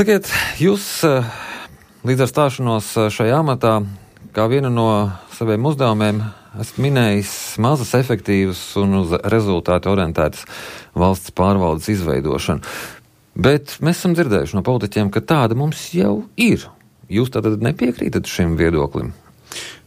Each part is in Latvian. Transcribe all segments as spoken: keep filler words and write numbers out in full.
Sakiet, jūs līdz ar stāšanos šajā amatā, kā vienu no saviem uzdevumiem, esat minējis mazas, efektīvas un uz rezultātu orientētas valsts pārvaldes izveidošanu. Bet mēs esam dzirdējuši no politiķiem, ka tāda mums jau ir. Jūs tātad nepiekrītat šim viedoklim?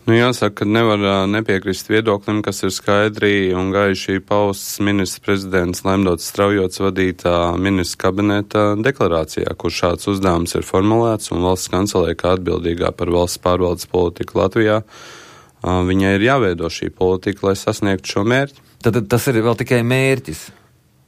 Nu, jāsaka, ka nevar nepiekrist viedoklim, kas ir skaidri un gaiši pausts ministrs prezidents Laimdots Straujots vadītā ministrs kabineta deklarācijā, kur šāds uzdevums ir formulēts, un valsts kancelē, kā atbildīgā par valsts pārvaldes politiku Latvijā, viņai ir jāveido šī politika, lai sasniegtu šo mērķi. Tad tas ir vēl tikai mērķis.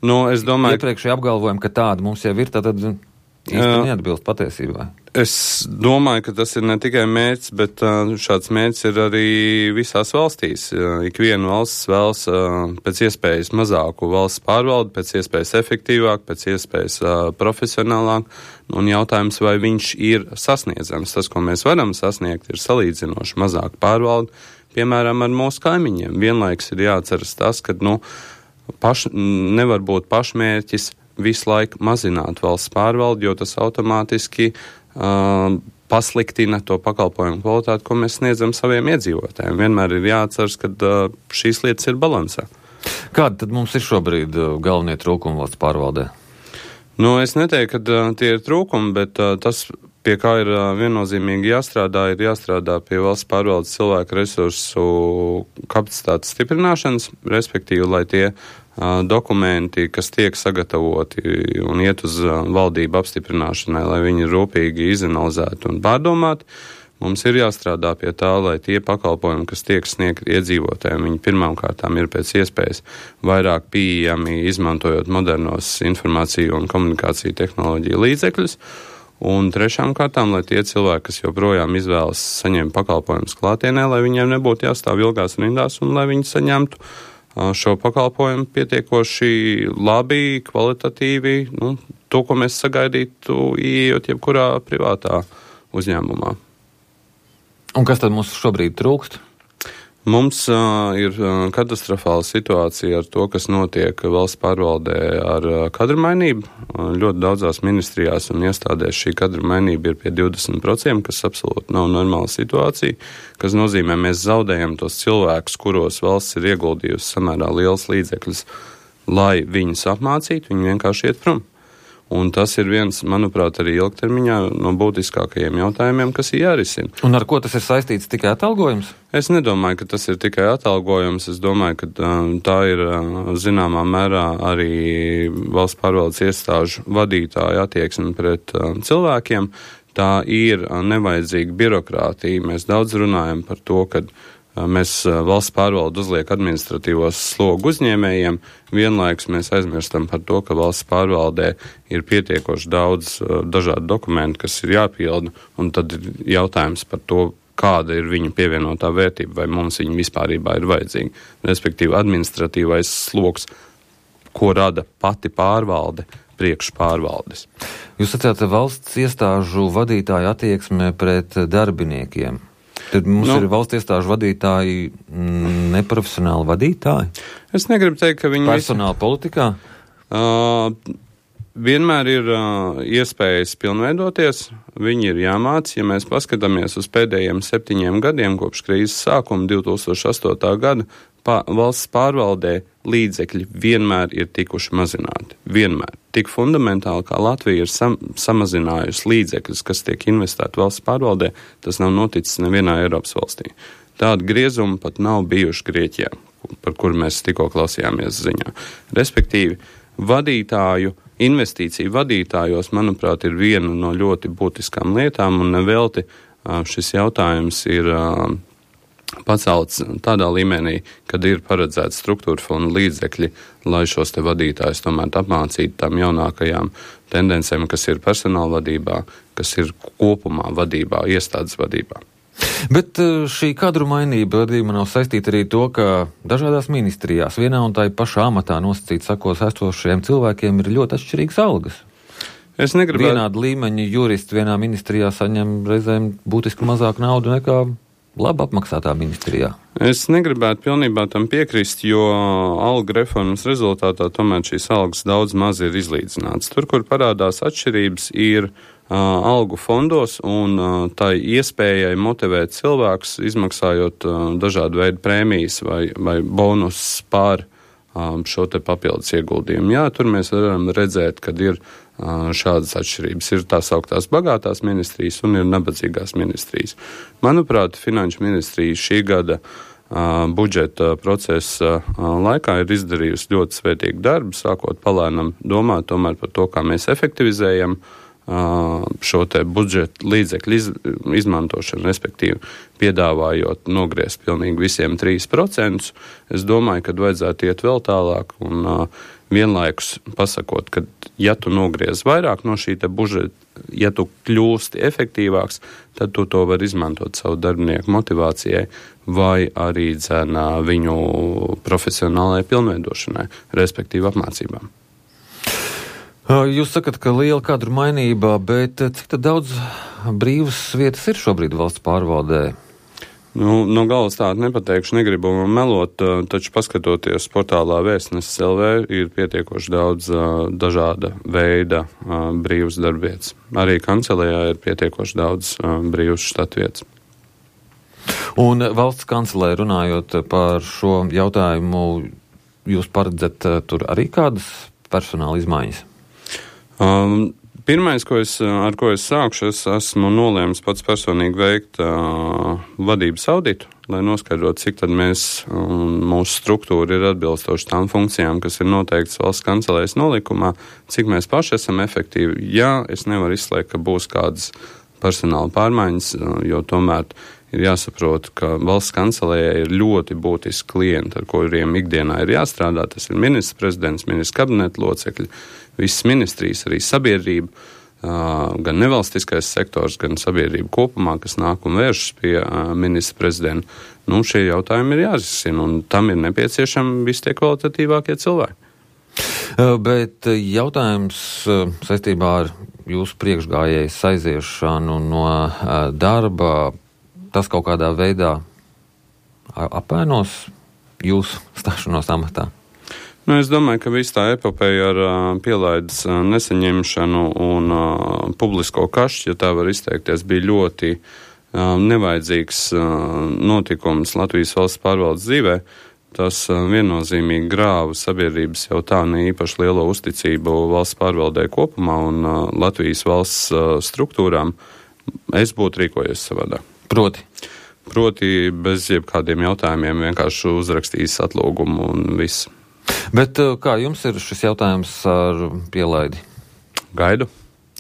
Nu, es domāju, iepriekšēji apgalvojam, ka tāda mums jau ir, tad īsti neatbilst patiesībai. Es domāju, ka tas ir ne tikai mērķis, bet uh, šāds mērķis ir arī visās valstīs. Uh, Ikviena valsts vēlas uh, pēc iespējas mazāku valsts pārvaldi, pēc iespējas efektīvāk, pēc iespējas uh, profesionālāk. Un jautājums, vai viņš ir sasniedzams. Tas, ko mēs varam sasniegt, ir salīdzinoši mazāk pārvaldi, piemēram, ar mūsu kaimiņiem. Vienlaiks ir jāatceras tas, ka nu, paš, nevar būt pašmērķis visu laiku mazināt valsts pārvaldi, jo tas automātiski Uh, pasliktina to pakalpojumu kvalitāti, ko mēs sniedzam saviem iedzīvotājiem. Vienmēr ir jāatceras, ka uh, šīs lietas ir balansā. Kādi tad mums ir šobrīd uh, galvenie trūkumi valsts pārvaldē? Nu, es neteiktu, ka uh, tie ir trūkumi, bet uh, tas, pie kā ir uh, viennozīmīgi jāstrādā, ir jāstrādā pie valsts pārvaldes cilvēku resursu kapacitātes stiprināšanas, respektīvi, lai tie dokumenti, kas tiek sagatavoti un iet uz valdību apstiprināšanai, lai viņi rūpīgi izanalizētu un pārdomātu. Mums ir jāstrādā pie tā, lai tie pakalpojumi, kas tiek sniegti iedzīvotājiem, viņi pirmām kārtām ir pēc iespējas vairāk pieejami, izmantojot modernos informāciju un komunikāciju tehnoloģiju līdzekļus. Un trešām kārtām, lai tie cilvēki, kas joprojām izvēlas saņemt pakalpojumus klātienē, lai viņiem nebūtu jāstāv ilgās rindās un lai viņi saņemtu šo pakalpojumu pietiekoši labi, kvalitatīvi, nu, to, ko mēs sagaidītu, ieejot jebkurā privātā uzņēmumā. Un kas tad mums šobrīd trūkst? Mums uh, ir uh, katastrofāla situācija ar to, kas notiek valsts pārvaldē ar uh, kadru mainību. Uh, ļoti daudzās ministrijās un iestādēs šī kadru mainība ir pie divdesmit procenti, kas absolūti nav normāla situācija, kas nozīmē, mēs zaudējam tos cilvēkus, kuros valsts ir ieguldījusi samērā liels līdzekļus, lai viņus apmācītu, viņi vienkārši iet prom. Un tas ir viens, manuprāt, arī ilgtermiņā no būtiskākajiem jautājumiem, kas ir jārisina. Un ar ko tas ir saistīts, tikai atalgojums? Es nedomāju, ka tas ir tikai atalgojums. Es domāju, ka tā ir zināmā mērā arī valsts pārvaldes iestāžu vadītāja attieksme pret cilvēkiem. Tā ir nevajadzīga birokrātija. Mēs daudz runājam par to, ka mēs valsts pārvalde uzliek administratīvos slogu uzņēmējiem, vienlaikus mēs aizmirstam par to, ka valsts pārvaldē ir pietiekoši daudz dažādu dokumentu, kas ir jāpilda, un tad ir jautājums par to, kāda ir viņu pievienotā vērtība, vai mums viņa vispārībā ir vajadzīga. Respektīvi, administratīvais sloks, ko rada pati pārvalde, priekš pārvaldes. Jūs sacījāt, valsts iestāžu vadītāju attieksme pret darbiniekiem. Tad mums nu, ir valsts iestāžu vadītāji neprofesionāli vadītāji? Es negribu teikt, ka viņi... Personāla visi... politikā? Uh, vienmēr ir uh, iespējas pilnveidoties, viņi ir jāmāc. Ja mēs paskatāmies uz pēdējiem septiņiem gadiem, kopš krīzes sākuma divi tūkstoši astotā gada, pa, valsts pārvaldē līdzekļi vienmēr ir tikuši mazināti. Vienmēr. Tik fundamentāli, kā Latvija ir sam, samazinājusi līdzekļus, kas tiek investēti valsts pārvaldē, tas nav noticis nevienā Eiropas valstī. Tāda griezuma pat nav bijuši Grieķijā, par kuru mēs tikko klausījāmies ziņā. Respektīvi, vadītāju, investīciju vadītājos, manuprāt, ir viena no ļoti būtiskām lietām, un nevelti šis jautājums ir pacelts tādā līmenī, kad ir paredzēts struktūra fonda līdzekļi, lai šos te vadītājus tomēr apmācītu tām jaunākajām tendencēm, kas ir personāla vadībā, kas ir kopumā vadībā, iestādes vadībā. Bet šī kadru mainība vadījuma nav saistīta arī to, ka dažādās ministrijās vienā un tā pašā amatā nosacīt sakos esošajiem cilvēkiem ir ļoti atšķirīgas algas. Es negribētu... Vienāda līmeņa juristi vienā ministrijā saņem reizēm būtiski mazāk naudu nekā labi apmaksātā ministrijā. Es negribētu pilnībā tam piekrist, jo alga reformas rezultātā tomēr šīs algas daudz maz ir izlīdzināts. Tur, kur parādās atšķirības, ir algu fondos un tai iespējai motivēt cilvēkus, izmaksājot dažādu veidu prēmijas vai, vai bonus pār šo te papildus ieguldījumu. Jā, tur mēs varam redzēt, kad ir šādas atšķirības. Ir tās augtās bagātās ministrijas un ir nabadzīgās ministrijas. Manuprāt, Finanšu ministrija šī gada budžeta procesa laikā ir izdarījusi ļoti svētīgu darbu, sākot palēnam domāt tomēr par to, kā mēs efektivizējam šo te budžeta līdzekļu iz, izmantošanu, respektīvi piedāvājot nogriezt pilnīgi visiem trīs procentus. Es domāju, ka vajadzētu iet vēl tālāk un uh, vienlaikus pasakot, ka ja tu nogriez vairāk no šī te budžeta, ja tu kļūsti efektīvāks, tad tu to var izmantot savu darbinieku motivācijai vai arī dzenā viņu profesionālajai pilnveidošanai, respektīvi apmācībām. Jūs sakat, ka liela kadru mainība, bet cik tad daudz brīvas vietas ir šobrīd valsts pārvaldē? Nu, no galas tādu nepateikšu, negribu melot, taču paskatoties portālā Vēstnesis L V ir pietiekoši daudz dažāda veida brīvas darbvietas. Arī kancelējā ir pietiekoši daudz brīvas štatvietas. Un valsts kancelē runājot par šo jautājumu, jūs paredzat tur arī kādas personāla izmaiņas? Um, pirmais, ko es, ar ko es sākšu, es esmu nolēmis pats personīgi veikt uh, vadības auditu, lai noskaidrotu, cik tad mēs un mūsu struktūra ir atbilstoši tām funkcijām, kas ir noteikts valsts kancelējas nolikumā, cik mēs paši esam efektīvi. Jā, es nevaru izslēgt, ka būs kādas personāla pārmaiņas, jo tomēr ir jāsaprot, ka valsts kancelējai ir ļoti būtiski klienti, ar kuriem ikdienā ir jāstrādā. Tas ir ministrs prezidents, ministrs kabineta locekļi, visas ministrijas, arī sabiedrība, gan nevalstiskais sektors, gan sabiedrība kopumā, kas nāk un vēršas pie ministra prezidenta. Nu, šie jautājumi ir jārisina, un tam ir nepieciešami visi tie kvalitatīvākie cilvēki. Bet jautājums saistībā ar jūsu priekšgājējas aiziešanu no darba, tas kaut kādā veidā apvainos jūsu stāšanos amatā? Nu, es domāju, ka viss tā epopeja ar uh, pielaides uh, nesaņemšanu un uh, publisko kašķi, ja tā var izteikties, bija ļoti uh, nevajadzīgs uh, notikums Latvijas valsts pārvaldes dzīvē. Tas uh, viennozīmīgi grāva sabiedrības jau tā ne īpaši lielo uzticību valsts pārvaldē kopumā un uh, Latvijas valsts uh, struktūrām. Es būtu rīkojies savādāk. Proti? Proti bez jebkādiem jautājumiem vienkārši uzrakstījis atlūgumu un viss. Bet kā jums ir šis jautājums ar pielaidi? Gaidu.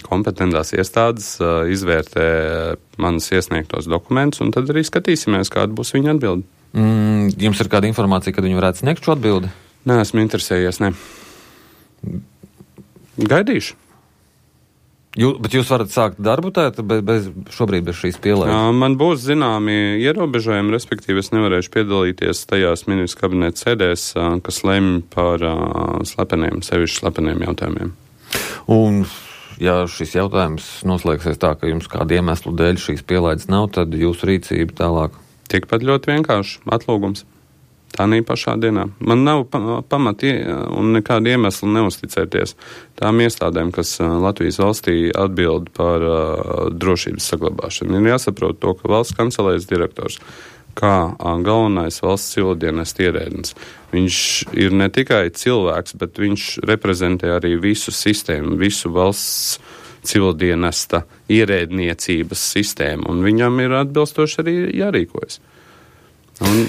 Kompetentās iestādes uh, izvērtē manas iesniegtos dokumentus, un tad arī skatīsimies, kāda būs viņa atbilde. Mm, jums ir kāda informācija, kad viņi varētu sniegt šo atbildi? Nē, esmu interesējies, ne. Gaidīšu. Jū, bet jūs varat sākt darbu tēt, bez, bez, šobrīd bez šīs pielaides? Uh, man būs zināmi ierobežojumi, respektīvi es nevarēšu piedalīties tajās ministru kabineta sēdēs, uh, kas lemj par uh, slepeniem, sevišķi slepeniem jautājumiem. Un, ja šis jautājums noslēgsies tā, ka jums kādu iemeslu dēļ šīs pielaides nav, tad jūsu rīcība tālāk? Tikpat ļoti vienkārši atlūgums. Tā nī pašā dienā. Man nav pamati un nekāda iemesla neusticēties tām iestādēm, kas Latvijas valstī atbild par uh, drošības saglabāšanu. Ir jāsaprot to, ka valsts kancelējas direktors, kā uh, galvenais valsts civildienesta ierēdnis, viņš ir ne tikai cilvēks, bet viņš reprezentē arī visu sistēmu, visu valsts civildienesta ierēdniecības sistēmu, un viņam ir atbilstoši arī jārīkojas. Un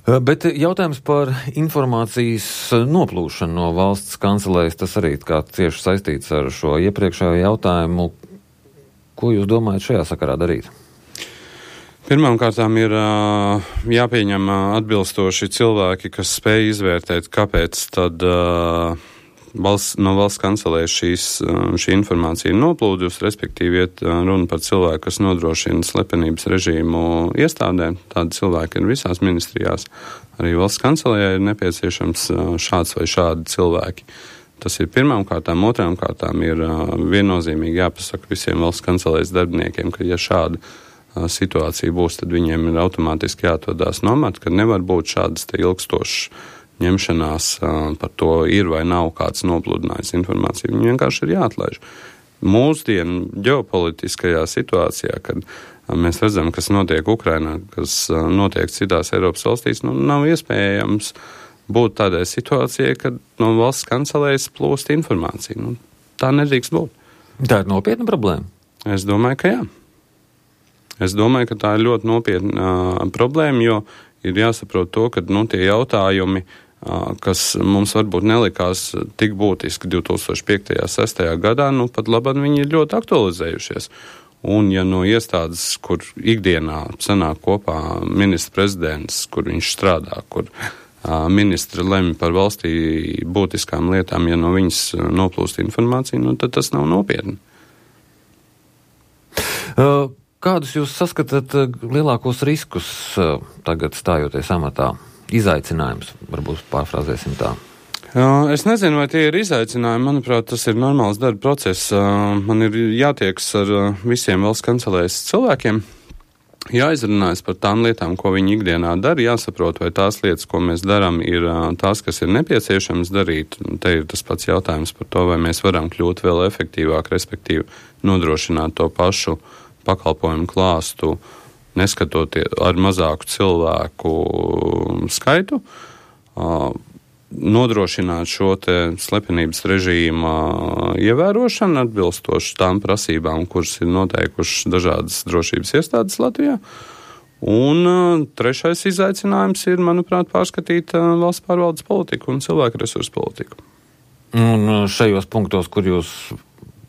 Bet jautājums par informācijas noplūšanu no valsts kancelējas, tas arī kā cieši saistīts ar šo iepriekšējo jautājumu. Ko jūs domājat šajā sakarā darīt? Pirmām kārtām ir uh, jāpieņem atbilstoši cilvēki, kas spēj izvērtēt, kāpēc tad uh, valsts, no valsts kancelējas šīs, šī informācija ir noplūdusi, respektīvi iet runa par cilvēku, kas nodrošina slepenības režīmu iestādēm. Tādi cilvēki ir visās ministrijās. Arī valsts kancelējai ir nepieciešams šāds vai šādi cilvēki. Tas ir pirmām kārtām. Otrām kārtām ir viennozīmīgi jāpasaka visiem valsts kancelējas darbiniekiem, ka ja šāda situācija būs, tad viņiem ir automātiski jāatvedās nomat, ka nevar būt šādas te ilgstošas ņemšanās par to ir vai nav kāds nopludinājis informāciju. Viņi vienkārši ir jāatlaiž. mūsdienu ģeopolitiskajā situācijā, kad mēs redzam, kas notiek Ukrainā, kas notiek citās Eiropas valstīs, nu, nav iespējams būt tādai situācijai, kad no valsts kancelējas plūst informācija. Nu, tā nedrīkst būt. Tā ir nopietna problēma? Es domāju, ka jā. Es domāju, ka tā ir ļoti nopietna uh, problēma, jo ir jāsaprot to, ka nu, tie jautājumi, uh, kas mums varbūt nelikās tik būtiski divi tūkstoši piektajā, sestajā gadā, nu pat labāk viņi ir ļoti aktualizējušies. Un ja no iestādes, kur ikdienā sanāk kopā ministra prezidents, kur viņš strādā, kur uh, ministri lemj par valstī būtiskām lietām, ja no viņas noplūst informācija, nu tad tas nav nopietni. Uh, kādus jūs saskatāt lielākos riskus uh, tagad stājoties amatā? Izaicinājums, varbūt pārfrāzēsim tā. Es nezinu, vai tie ir izaicinājumi. Manuprāt, tas ir normāls darba process. Man ir jātieks ar visiem valsts kancelējas cilvēkiem, jāizrunājas par tām lietām, ko viņi ikdienā dara, jāsaprot, vai tās lietas, ko mēs darām, ir tās, kas ir nepieciešams darīt. Te ir tas pats jautājums par to, vai mēs varam kļūt vēl efektīvāk, respektīvi nodrošināt to pašu pakalpojumu klāstu, neskatoties ar mazāku cilvēku skaitu. Nodrošināt šo te slepenības režīma ievērošanu atbilstoši tām prasībām, kuras ir noteikušas dažādas drošības iestādes Latvijā. Un uh, trešais izaicinājums ir, manuprāt, pārskatīt uh, valsts pārvaldes politiku un cilvēku resursu politiku. Un šajos punktos, kur jūs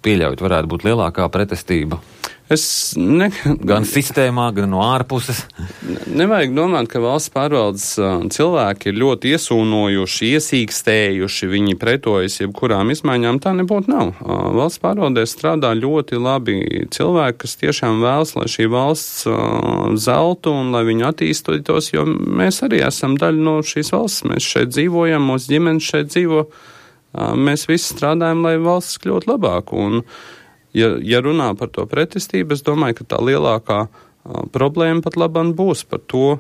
pieļaujat, varētu būt lielākā pretestība? Es ne... Gan sistēmā, gan no ārpuses. Nevajag domāt, ka valsts pārvaldes cilvēki ir ļoti iesūnojuši, iesīkstējuši, viņi pretojas jebkurām izmaiņām. Tā nebūtu nav. Valsts pārvaldē strādā ļoti labi cilvēki, kas tiešām vēlas, lai šī valsts zeltu un lai viņi attīstītos, jo mēs arī esam daļa no šīs valsts. Mēs šeit dzīvojam, mūsu ģimenes šeit dzīvo. Mēs visi strādājam, lai valsts kļūtu labāk. Un Ja, ja runā par to pretestību, es domāju, ka tā lielākā a, problēma pat labam būs par to,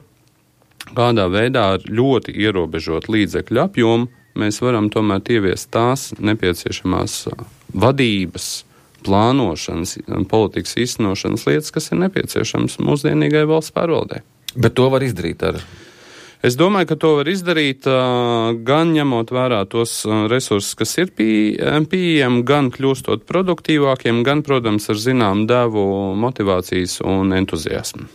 kādā veidā ar ļoti ierobežot līdzekļu apjomu mēs varam tomēr ieviest tās nepieciešamās a, vadības, plānošanas, politikas īstenošanas lietas, kas ir nepieciešams mūsdienīgai valsts pārvaldē. Bet to var izdarīt ar... Es domāju, ka to var izdarīt gan ņemot vērā tos resursus, kas ir pieejami, gan kļūstot produktīvākiem, gan, protams, ar zinām devu motivācijas un entuziasmu.